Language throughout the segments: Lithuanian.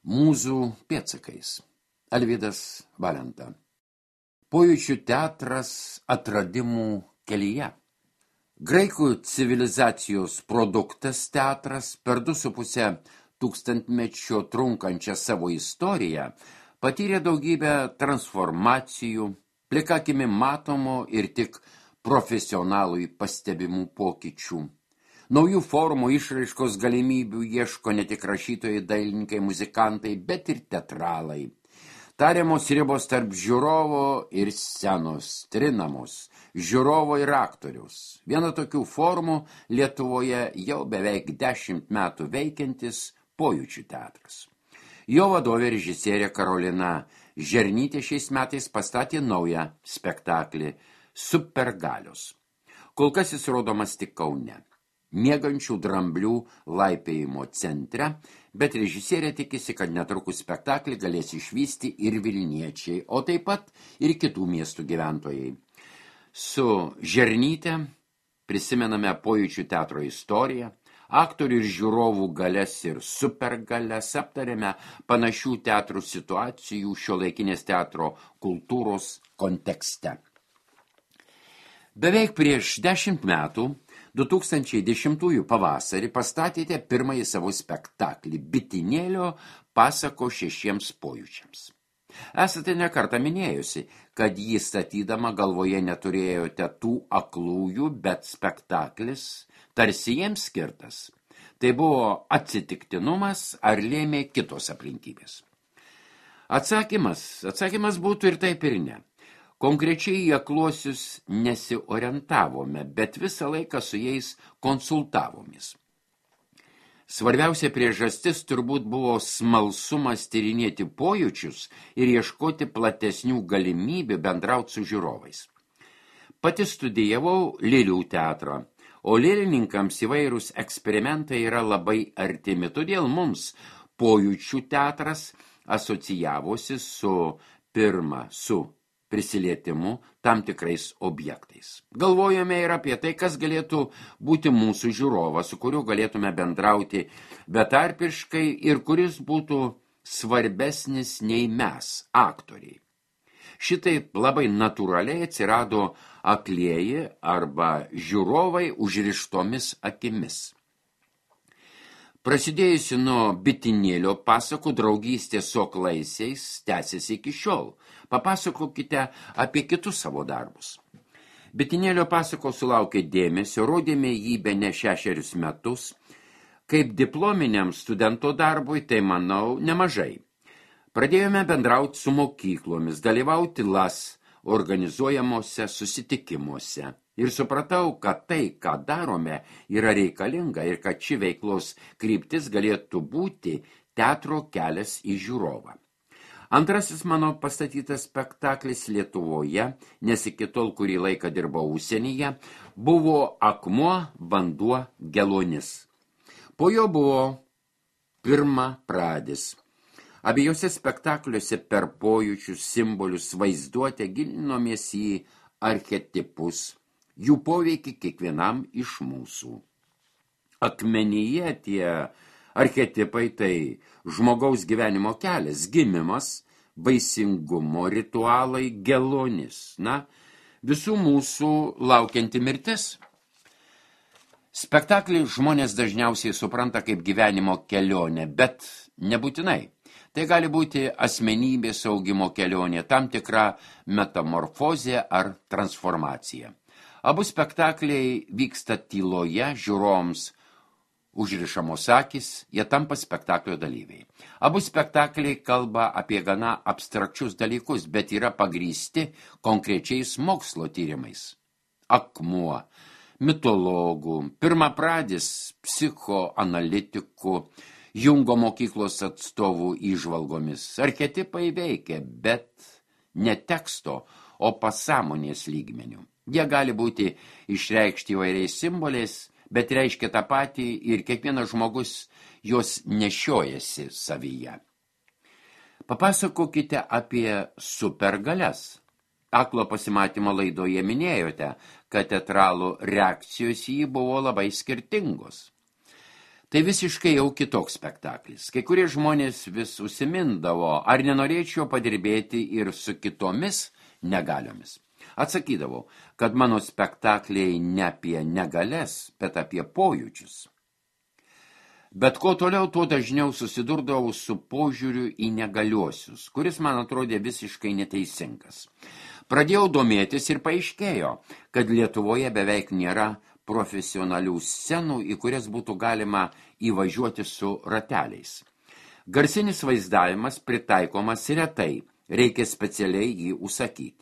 Mūzų pėdsakais. Alvydas Valenta. Pojūčių teatras atradimų kelyje. Graikų civilizacijos produktas teatras per 2,5 tūkstantmečio trunkančią savo istoriją patyrė daugybę transformacijų, plika akimi matomų ir tik profesionalui pastebimų pokyčių. Naujų formų išraiškos galimybių ieško ne tik rašytojai, dailininkai, muzikantai, bet ir teatralai. Tariamos ribos tarp žiūrovo ir scenos, trinamos, žiūrovo ir aktoriaus. Viena tokių formų Lietuvoje jau beveik 10 metų veikiantis Pojūčių teatras. Jo vadovė režisierė Karolina Žernytė šiais metais pastatė naują spektaklį Supergalios. Kol kas jis rodomas tik Kaune, miegančių dramblių laipėjimo centre, bet režisierė tikisi, kad netrukus spektaklį galės išvysti ir vilniečiai, o taip pat ir kitų miestų gyventojai. Su Žernyte prisimename Pojūčių teatro istoriją, aktorių ir žiūrovų galias ir supergalias, aptarėme panašių teatrų situacijų šiuolaikinės teatro kultūros kontekste. Beveik prieš 10 metų, 2010 pavasarį, pastatėte pirmąjį savo spektaklį Bitinėlio pasako 6 pojūčiams. Esate nekartą minėjusi, kad jį statydama galvoje neturėjote tų aklųjų, bet spektaklis tarsi jiems skirtas. Tai buvo atsitiktinumas ar lėmė kitos aplinkybės? Atsakymas būtų ir taip ir ne. Konkrečiai į akluosius nesiorientavome, bet visą laiką su jais konsultavomės. Svarbiausia priežastis turbūt buvo smalsumas tyrinėti pojūčius ir ieškoti platesnių galimybių bendrauti su žiūrovais. Pati studijavau lėlių teatrą, o lėlininkams įvairūs eksperimentai yra labai artimi, todėl mums Pojūčių teatras asocijavosi su prisilietimu tam tikrais objektais. Galvojame ir apie tai, kas galėtų būti mūsų žiūrovas, su kuriuo galėtume bendrauti betarpiškai ir kuris būtų svarbesnis nei mes, aktoriai. Šitaip labai natūraliai atsirado aklieji arba žiūrovai užrištomis akimis. Prasidėjusi nuo Bitinėlio pasakų draugystė su aklaisiais tęsiasi iki šiol. Papasakokite apie kitus savo darbus. Bitinėlio pasakos sulaukė dėmesio, rodėme jį bene 6 metus. Kaip diplominiam studento darbui, tai manau nemažai. Pradėjome bendrauti su mokyklomis, dalyvauti LAS organizuojamuose susitikimuose. Ir supratau, kad tai, ką darome, yra reikalinga ir kad ši veiklos kryptis galėtų būti teatro kelias į žiūrovą. Antrasis mano pastatytas spektaklis Lietuvoje, nes iki tol kurį laiką dirbau užsienyje, buvo Akmuo, vanduo, geluonis. Po jo buvo Pirmapradis. Abiejose spektakliuose per pojūčius, simbolius, vaizduotę gilinomės į archetipus, jų poveikį kiekvienam iš mūsų. Akmenyje tie archetipai tai žmogaus gyvenimo kelias, gimimas, vaisingumo ritualai, geluonis, visų mūsų laukianti mirtis. Spektaklį žmonės dažniausiai supranta kaip gyvenimo kelionę, bet nebūtinai. Tai gali būti asmenybės augimo kelionė, tam tikra metamorfozė ar transformacija. Abu spektakliai vyksta tyloje, žiūrovams užrišamos akis, jie tampa spektaklio dalyviai. Abu spektakliai kalba apie gana abstrakčius dalykus, bet yra pagrįsti konkrečiais mokslo tyrimais. Akmuo, mitologų, Pirmapradis, psichoanalitikų, Jungo mokyklos atstovų įžvalgomis. Archetipai veikia, bet ne teksto, o pasąmonės lygmenių. Jie gali būti išreikšti įvairiais simboliais, bet reiškia tą patį ir kiekvienas žmogus juos nešiojasi savyje. Papasakokite apie supergalias. Aklo pasimatymo laidoje minėjote, kad teatralų reakcijos į jį buvo labai skirtingos. Tai visiškai jau kitoks spektaklis. Kai kurie žmonės vis užsimindavo, ar nenorėčiau padirbėti ir su kitomis negaliomis. Atsakydavau, kad mano spektakliai ne apie negalias, bet apie pojūčius. Bet kuo toliau, tuo dažniau susidurdavau su požiūriu į negaliuosius, kuris man atrodė visiškai neteisingas. Pradėjau domėtis ir paaiškėjo, kad Lietuvoje beveik nėra profesionalių scenų, į kurias būtų galima įvažiuoti su rateliais. Garsinis vaizdavimas pritaikomas retai, reikia specialiai jį užsakyti.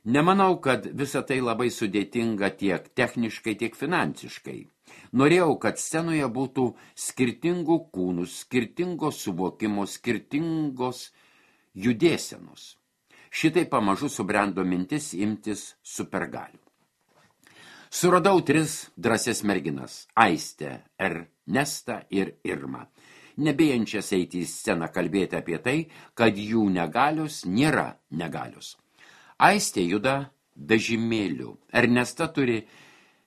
Nemanau, kad visa tai labai sudėtinga tiek techniškai, tiek finansiškai. Norėjau, kad scenoje būtų skirtingų kūnų, skirtingos suvokimo, skirtingos judėsenos. Šitai pamažu subrendo mintis imtis supergalių. Suradau 3 drąsias merginas – Aistę, Ernestą ir Irmą, nebijančias eiti į sceną kalbėti apie tai, kad jų negalios nėra negalios. Aistė juda vežimėliu, Ernesta turi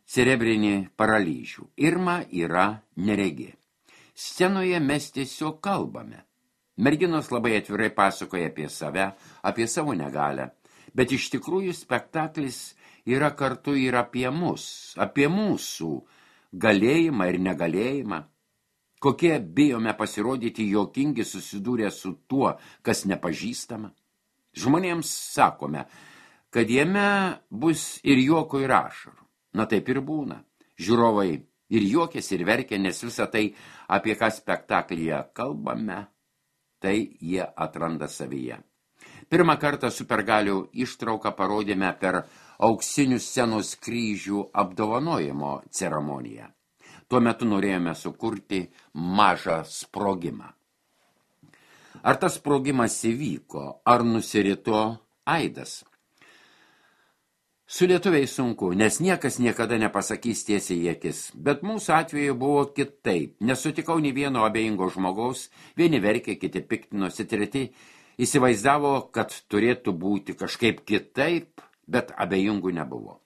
cerebrinį paralyžių, Irma yra neregė. Scenoje mes tiesiog kalbame. Merginos labai atvirai pasakoja apie save, apie savo negalią, bet iš tikrųjų spektaklis yra kartu ir apie mus, apie mūsų galėjimą ir negalėjimą. Kokie bijome pasirodyti juokingi susidūrę su tuo, kas nepažįstama. Žmonėms sakome, kad jame bus ir juoko ir ašarų. Na taip ir būna. Žiūrovai ir juokės ir verkia, nes visą tai, apie ką spektaklyje kalbame, tai jie atranda savyje. Pirmą kartą supergalių ištrauką parodėme per auksinių scenos kryžių apdovanojimo ceremoniją. Tuo metu norėjome sukurti mažą sprogimą. Ar tas sprogimas įvyko, ar nusirito aidas? Su lietuviais sunku, nes niekas niekada nepasakys tiesiai į akis, bet mūsų atveju buvo kitaip. Nesutikau nei vieno abejingo žmogaus, vieni verkė, kiti piktinosi, treti įsivaizdavo, kad turėtų būti kažkaip kitaip, bet abejingų nebuvo.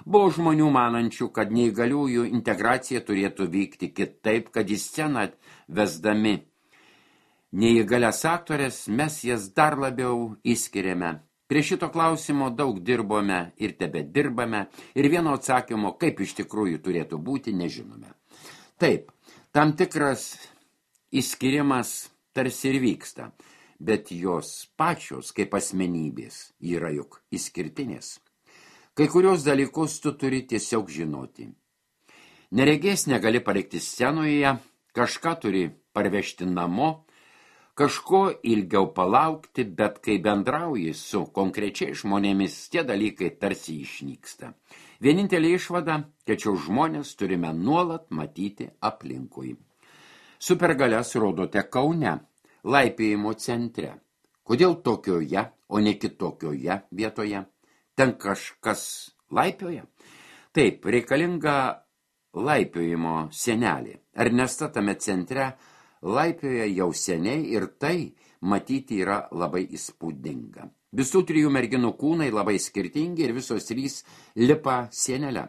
Buvo žmonių manančių, kad neįgaliųjų integracija turėtų vykti kitaip, kad į sceną vesdami neįgalias aktorės mes jas dar labiau įskiriame. Prie šito klausimo daug dirbome ir tebedirbame ir vieno atsakymo, kaip iš tikrųjų turėtų būti, nežinome. Taip, tam tikras įskirimas tarsi ir vyksta, bet jos pačios kaip asmenybės yra juk išskirtinės. Kai kurios dalykus tu turi tiesiog žinoti. Neregės negali palikti scenoje, kažką turi parvežti namo, kažko ilgiau palaukti, bet kai bendrauji su konkrečiai žmonėmis, tie dalykai tarsi išnyksta. Vienintelė išvada, kad šios žmonės turime nuolat matyti aplinkui. Supergalias rodote Kaune, laipiojimo centre. Kodėl tokioje, o ne kitokioje vietoje? Ten kažkas laipioja? Taip, reikalinga laipiojimo sienelė. Ernesta tame centre laipioja jau seniai ir tai matyti yra labai įspūdinga. Visų 3 merginų kūnai labai skirtingi ir visos 3 lipa sienelę.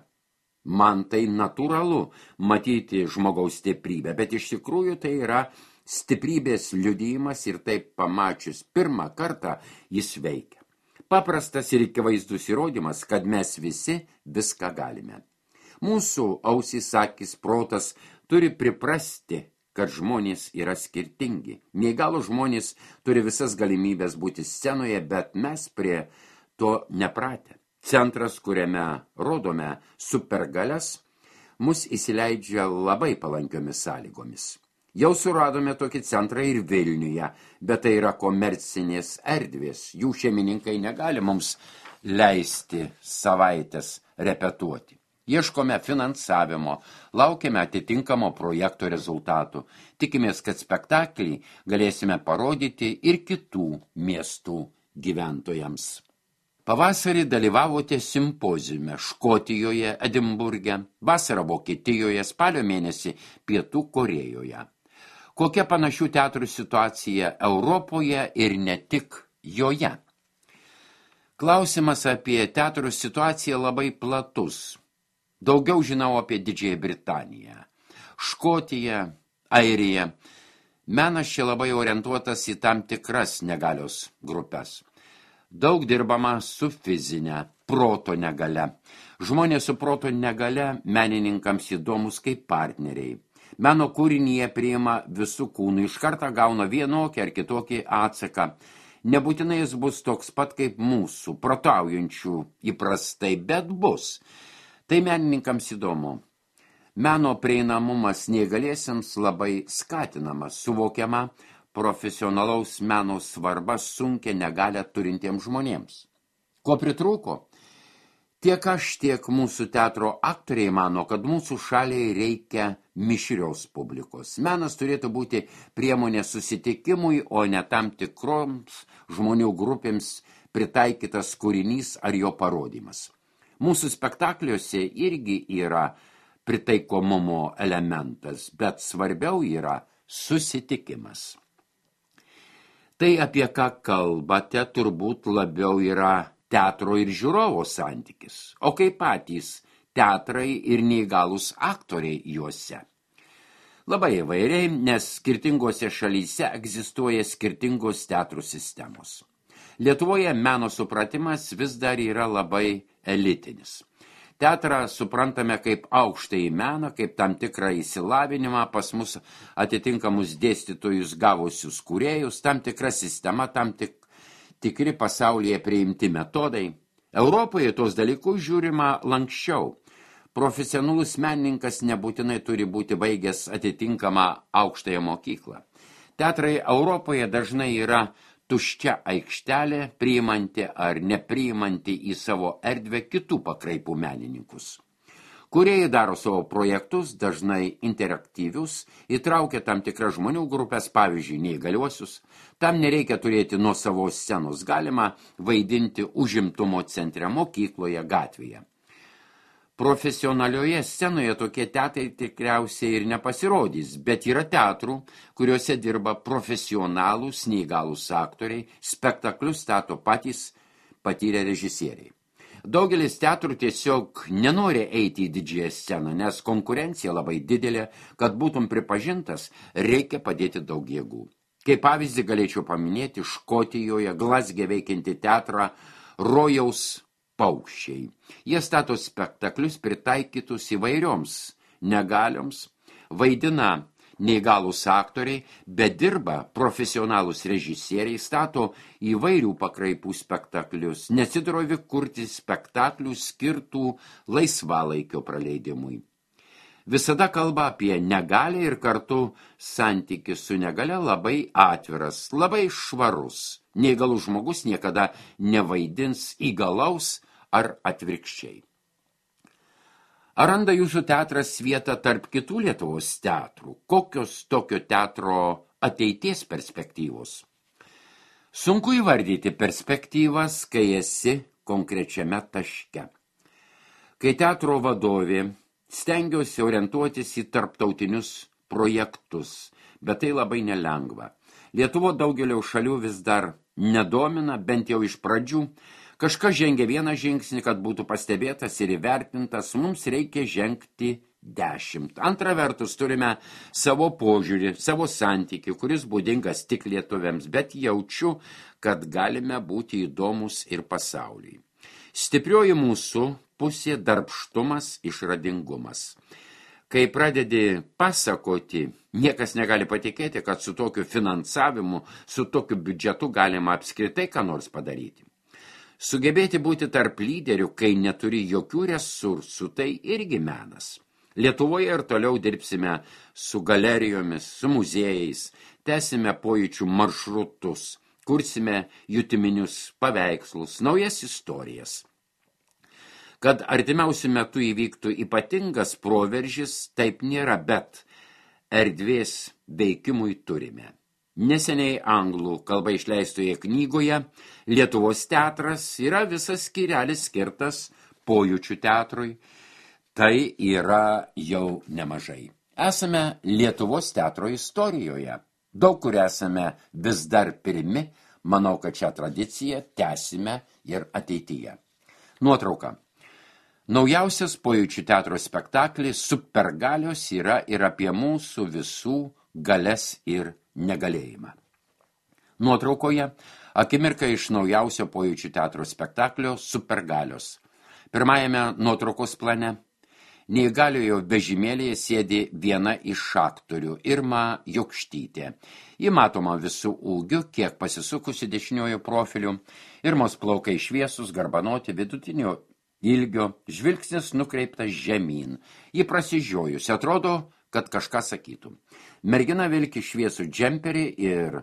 Man tai natūralu matyti žmogaus stiprybę, bet iš tikrųjų tai yra stiprybės liudijimas ir taip pamačius pirmą kartą jis veikia. Paprastas ir akivaizdus įrodymas, kad mes visi viską galime. Mūsų ausys, akys, protas turi priprasti, kad žmonės yra skirtingi. Neįgalų žmonės turi visas galimybės būti scenoje, bet mes prie to nepratę. Centras, kuriame rodome supergalias, mus įsileidžia labai palankiomis sąlygomis. Jau suradome tokį centrą ir Vilniuje, bet tai yra komercinės erdvės. Jų šeimininkai negali mums leisti savaitės repetuoti. Ieškome finansavimo, laukiame atitinkamo projekto rezultatų. Tikimės, kad spektaklį galėsime parodyti ir kitų miestų gyventojams. Pavasarį dalyvavote simpoziume Škotijoje, Edinburge, vasarą Vokietijoje, spalio mėnesį Pietų Korėjoje. Kokia panašių teatrų situacija Europoje ir ne tik joje? Klausimas apie teatrų situaciją labai platus. Daugiau žinau apie Didžiąją Britaniją, Škotiją, Airija. Menas čia labai orientuotas į tam tikras negalios grupės. Daug dirbama su fizinė, proto negale. Žmonės su proto negale menininkams įdomus kaip partneriai. Meno kūrinį jie priima visų kūnų, iš karto gauna vienokį ar kitokį atsaką. Nebūtinai jis bus toks pat kaip mūsų, protaujančių įprastai, bet bus. Tai menininkams įdomu. Meno prieinamumas neįgaliesiems labai skatinamas, suvokiama profesionalaus meno svarba sunkia negalią turintiems žmonėms. Ko pritrūko? Tiek aš, tiek mūsų teatro aktoriai mano, kad mūsų šaliai reikia mišrios publikos. Menas turėtų būti priemonė susitikimui, o ne tam tikroms žmonių grupėms pritaikytas kūrinys ar jo parodymas. Mūsų spektakliuose irgi yra pritaikomumo elementas, bet svarbiau yra susitikimas. Tai, apie ką kalbate, turbūt labiau yra teatro ir žiūrovo santykis, o kaip patys teatrai ir neįgalūs aktoriai juose. Labai įvairiai, nes skirtingose šalyse egzistuoja skirtingos teatrų sistemos. Lietuvoje meno supratimas vis dar yra labai elitinis. Teatrą suprantame kaip aukštąjį meną, kaip tam tikrą įsilavinimą, pas mus atitinkamus dėstytojus gavusius kūrėjus, tam tikra sistema, tam tikri pasaulyje priimti metodai. Europoje tos dalykus žiūrima lanksčiau. Profesionalus menininkas nebūtinai turi būti baigęs atitinkamą aukštąją mokyklą. Teatrai Europoje dažnai yra tuščia aikštelė, priimanti ar nepriimanti į savo erdvę kitų pakraipų menininkus. Kūrėjai daro savo projektus, dažnai interaktyvius, įtraukia tam tikras žmonių grupės, pavyzdžiui, neįgaliuosius. Tam nereikia turėti nuosavos scenos, galima vaidinti užimtumo centre, mokykloje, gatvėje. Profesionalioje scenoje tokie teatrai tikriausiai ir nepasirodys, bet yra teatrų, kuriuose dirba profesionalūs neįgalūs aktoriai, spektaklius stato patys patyrę režisieriai. Daugelis teatrų tiesiog nenori eiti į didžiąją sceną, nes konkurencija labai didelė, kad būtum pripažintas, reikia padėti daug jėgų. Kaip pavyzdį galėčiau paminėti Škotijoje Glazge veikiantį teatrą Rojaus paukščiai. Jie stato spektaklius pritaikytus įvairioms negalioms, vaidina neįgalūs aktoriai, bet dirba profesionalūs režisieriai, stato įvairių pakraipų spektaklius, nesidrovi kurti spektaklių skirtų laisvalaikio praleidimui. Visada kalba apie negalią ir kartu santykis su negalia labai atviras, labai švarus. Neįgalus žmogus niekada nevaidins įgalaus ar atvirkščiai. Ar randa jūsų teatras vietą tarp kitų Lietuvos teatrų? Kokios tokio teatro ateities perspektyvos? Sunku įvardyti perspektyvas, kai esi konkrečiame taške. Kai teatro vadovė, stengiuosi orientuotis į tarptautinius projektus, bet tai labai nelengva. Lietuvo daugelio šalių vis dar nedomina, bent jau iš pradžių. Kažkas žengia vieną žingsnį, kad būtų pastebėtas ir įvertintas, mums reikia žengti 10. Antra vertus, turime savo požiūrį, savo santykį, kuris būdingas tik lietuviams, bet jaučiu, kad galime būti įdomus ir pasauliui. Stiprioji mūsų pusė darbštumas, išradingumas. Kai pradedi pasakoti, niekas negali patikėti, kad su tokiu finansavimu, su tokiu biudžetu galima apskritai ką nors padaryti. Sugebėti būti tarp lyderių, kai neturi jokių resursų, tai irgi menas. Lietuvoje ir toliau dirbsime su galerijomis, su muziejais, tęsime pojūčių maršrutus, kursime jutiminius paveikslus, naujas istorijas. Kad artimiausiu metu įvyktų ypatingas proveržis, taip nėra, bet erdvės veikimui turime. Neseniai anglų kalba išleistoje knygoje Lietuvos teatras yra visas skyrelis skirtas pojūčių teatrui. Tai yra jau nemažai. Esame Lietuvos teatro istorijoje. Daug kur esame vis dar pirmi, manau, kad šią tradiciją tęsime ir ateityje. Nuotrauka. Naujausias pojūčių teatro spektaklis Supergalios yra ir apie mūsų visų galias ir negalėjimą. Nuotraukoje akimirka iš naujausio Pojūčių teatro spektaklio Supergalios. Pirmajame nuotraukos plane neįgaliojo vežimėlėje sėdi viena iš aktorių, Irma Jokštytė. Ji matoma visų ūgių, kiek pasisukusi dešiniojo profiliu. Irmos plaukai šviesus, garbanoti, vidutinio ilgio, žvilgsnis nukreiptas žemyn. Ji prasižiojusi, atrodo, kad kažką sakytų. Mergina vilki šviesų džemperį ir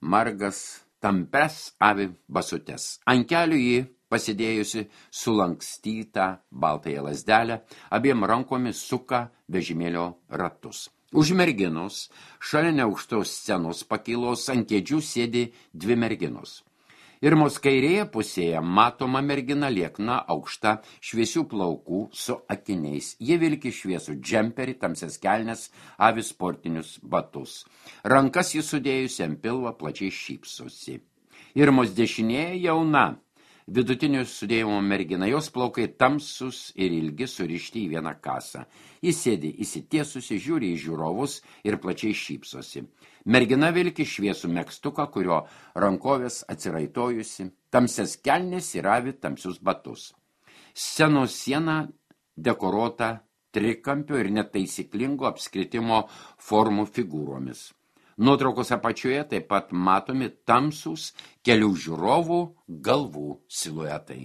margas tampes avi basutes. Ant kelių ji pasidėjusi sulankstytą baltąją lazdelę, abiem rankomis suka vežimėlio ratus. Už merginos, šalia neaukštos scenos pakylos, ant kėdžių sėdi dvi merginos. Irmos kairėje pusėje matoma mergina liekna, aukšta, šviesių plaukų su akiniais. Ji vilki šviesų džemperį, tamsias kelnes, avi sportinius batus. Rankas jis sudėjusi ant pilvo, plačiai šypsosi. Irmos dešinėje jauna, vidutinio sudėjimo mergina, jos plaukai tamsus ir ilgi surišti į vieną kasą. Jis sėdi įsitiesusi, žiūri į žiūrovus ir plačiai šypsosi. Mergina vilki šviesų megztuką, kurio rankovės atsiraitojusi, tamsias kelnes ir avi tamsius batus. Scenos siena dekoruota trikampio ir netaisyklingo apskritimo formų figūromis. Nuotraukos apačioje taip pat matomi tamsūs kelių žiūrovų galvų siluetai.